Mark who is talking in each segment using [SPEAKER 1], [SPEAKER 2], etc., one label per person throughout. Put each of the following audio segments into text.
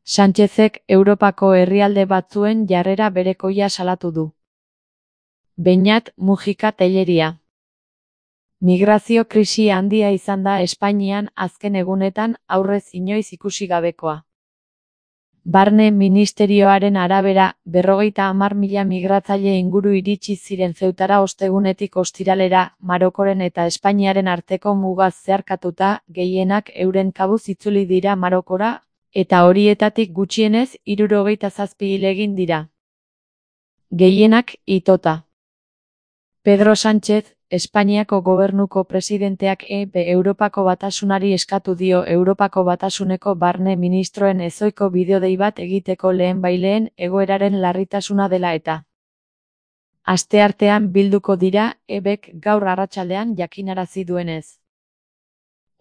[SPEAKER 1] Sánchezek Europako herrialde batzuen jarrera berekoia salatu du. Beñat Mujika Tellería. Migrazio krisi handia izan da Espainian azken egunetan, aurrez inoiz ikusi gabekoa. Barne Ministerioaren arabera, 50.000 migratzaile inguru iritsi ziren Zeutara ostegunetik ostiralera, Marokoren eta Espainiaren arteko mugaz zeharkatuta, gehienak euren kabuz itzuli dira Marokora, eta horietatik gutxienez 77 hil egin dira. Gehienak itota. Pedro Sánchez, Espainiako gobernuko presidenteak Europako Batasunari eskatu dio Europako Batasuneko barne ministroen ezohiko bideodei bat egiteko lehenbailehen egoeraren larritasuna dela eta. Asteartean bilduko dira, EBek gaur arratsaldean jakinarazi duenez.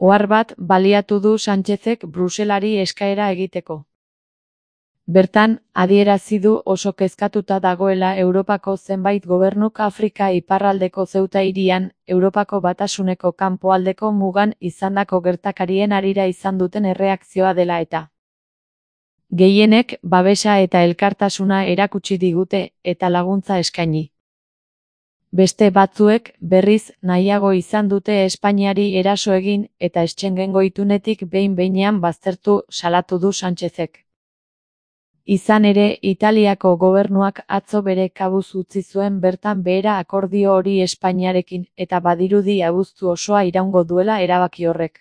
[SPEAKER 1] Ohar bat baliatu du Sánchezek Bruselari eskaera egiteko. Bertan, adierazi du oso kezkatuta dagoela Europako zenbait gobernuk Afrika iparraldeko Zeuta hirian, Europako Batasuneko kanpoaldeko mugan izandako gertakarien harira izan duten erreakzioa dela eta. Gehienek babesa eta elkartasuna erakutsi digute eta laguntza eskaini. Beste batzuek, berriz, nahiago izan dute Espainiari eraso egin eta Schengengo itunetik behin-behinean baztertu salatu du Sánchezek. Izan ere, Italiako gobernuak atzo bere kabuz utzi zuen bertan behera akordio hori Espainiarekin eta badirudi abuztu osoa iraungo duela erabaki horrek.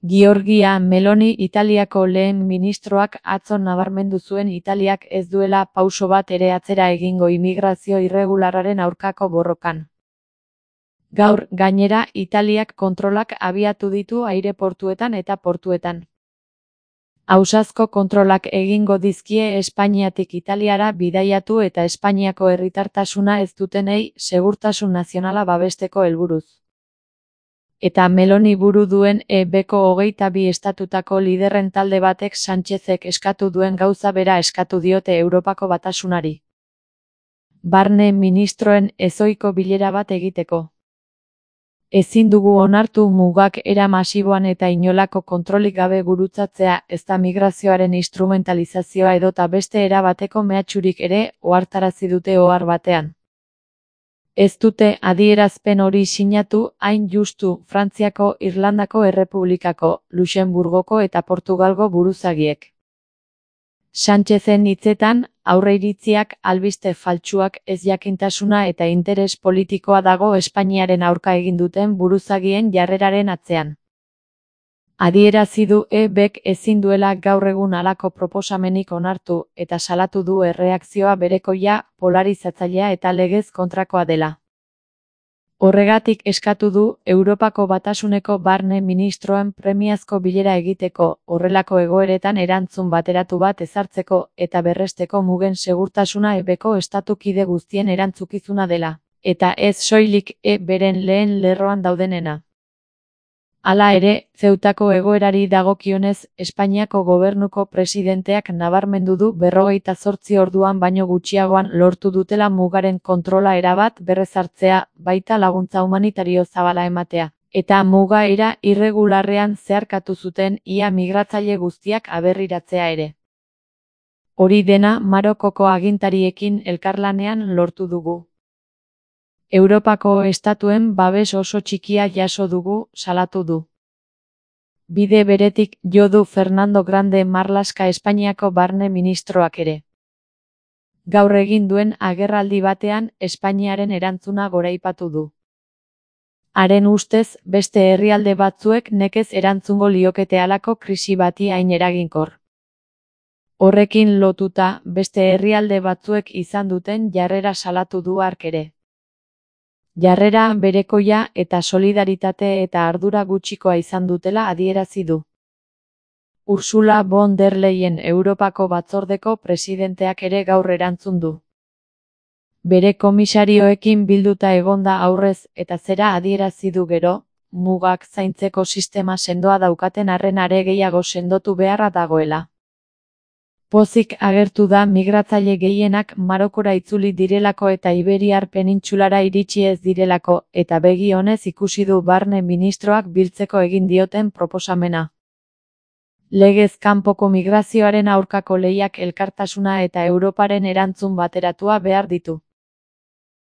[SPEAKER 1] Giorgia Meloni Italiako lehen ministroak atzo nabarmendu zuen Italiak ez duela pauso bat ere atzera egingo immigrazio irregularraren aurkako borrokan. Gaur, gainera, Italiak kontrolak abiatu ditu aireportuetan eta portuetan. Ausazko kontrolak egingo dizkie Espainiatik Italiara bidaiatu eta Espainiako herritartasuna ez dutenei segurtasun nazionala babesteko helburuz. Eta Meloni buru duen EBko 22 estatutako liderren talde batek Sánchezek eskatu duen gauza bera eskatu diote Europako Batasunari. Barne ministroen ezohiko bilera bat egiteko. Ezin dugu onartu mugak era masiboan eta inolako kontrolik gabe gurutzatzea, ezta migrazioaren instrumentalizazioa edota beste era bateko mehatxurik ere, ohartarazi dute ohar batean. Ez dute adierazpen hori sinatu, hain justu, Frantziako, Irlandako Errepublikako, Luxenburgoko eta Portugalgo buruzagiek. Sánchezen hitzetan, aurreiritziak, albiste faltsuak, ezjakintasuna eta interes politikoa dago Espainiaren aurka egin duten buruzagien jarreraren atzean. Adierazi du EBek ezin duela gaur egun halako proposamenik onartu eta salatu du erreakzioa berekoia, polarizatzailea eta legez kontrakoa dela. Horregatik eskatu du Europako Batasuneko barne ministroen premiazko bilera egiteko, horrelako egoeretan erantzun bateratu bat ezartzeko eta berresteko mugen segurtasuna EBko estatukide guztien erantzukizuna dela, eta ez soilik beren lehen lerroan daudenena. Hala ere, Zeutako egoerari dagokionez, Espainiako gobernuko presidenteak nabarmendu du 48 orduan baino gutxiagoan lortu dutela mugaren kontrola erabat berrezartzea, baita laguntza humanitario zabala ematea, eta muga era irregularrean zeharkatu zuten ia migratzaile guztiak aberriratzea ere. Hori dena Marokoko agintariekin elkarlanean lortu dugu. Europako estatuen babes oso txikia jaso dugu, salatu du. Bide beretik jo du Fernando Grande Marlaska Espainiako barne ministroak ere. Gaur egin duen agerraldi batean Espainiaren erantzuna goraipatu du. Haren ustez, beste herrialde batzuek nekez erantzungo liokete halako krisi bati hain eraginkor. Horrekin lotuta, beste herrialde batzuek izan duten jarrera salatu du hark ere. Jarrera berekoia eta solidaritate eta ardura gutxikoa izan dutela adierazi du. Ursula von der Leyen Europako batzordeko presidenteak ere gaur erantzun du. Bere komisarioekin bilduta egonda aurrez eta zera adierazi du gero, mugak zaintzeko sistema sendoa daukaten arren are gehiago sendotu beharra dagoela. Pozik agertu da migratzaile gehienak Marokora itzuli direlako eta Iberiar penintsulara iritsi ez direlako, eta begi onez ikusi du barne ministroak biltzeko egin dioten proposamena. Legez kanpoko migrazioaren aurkako lehiak elkartasuna eta Europaren erantzun bateratua behar ditu.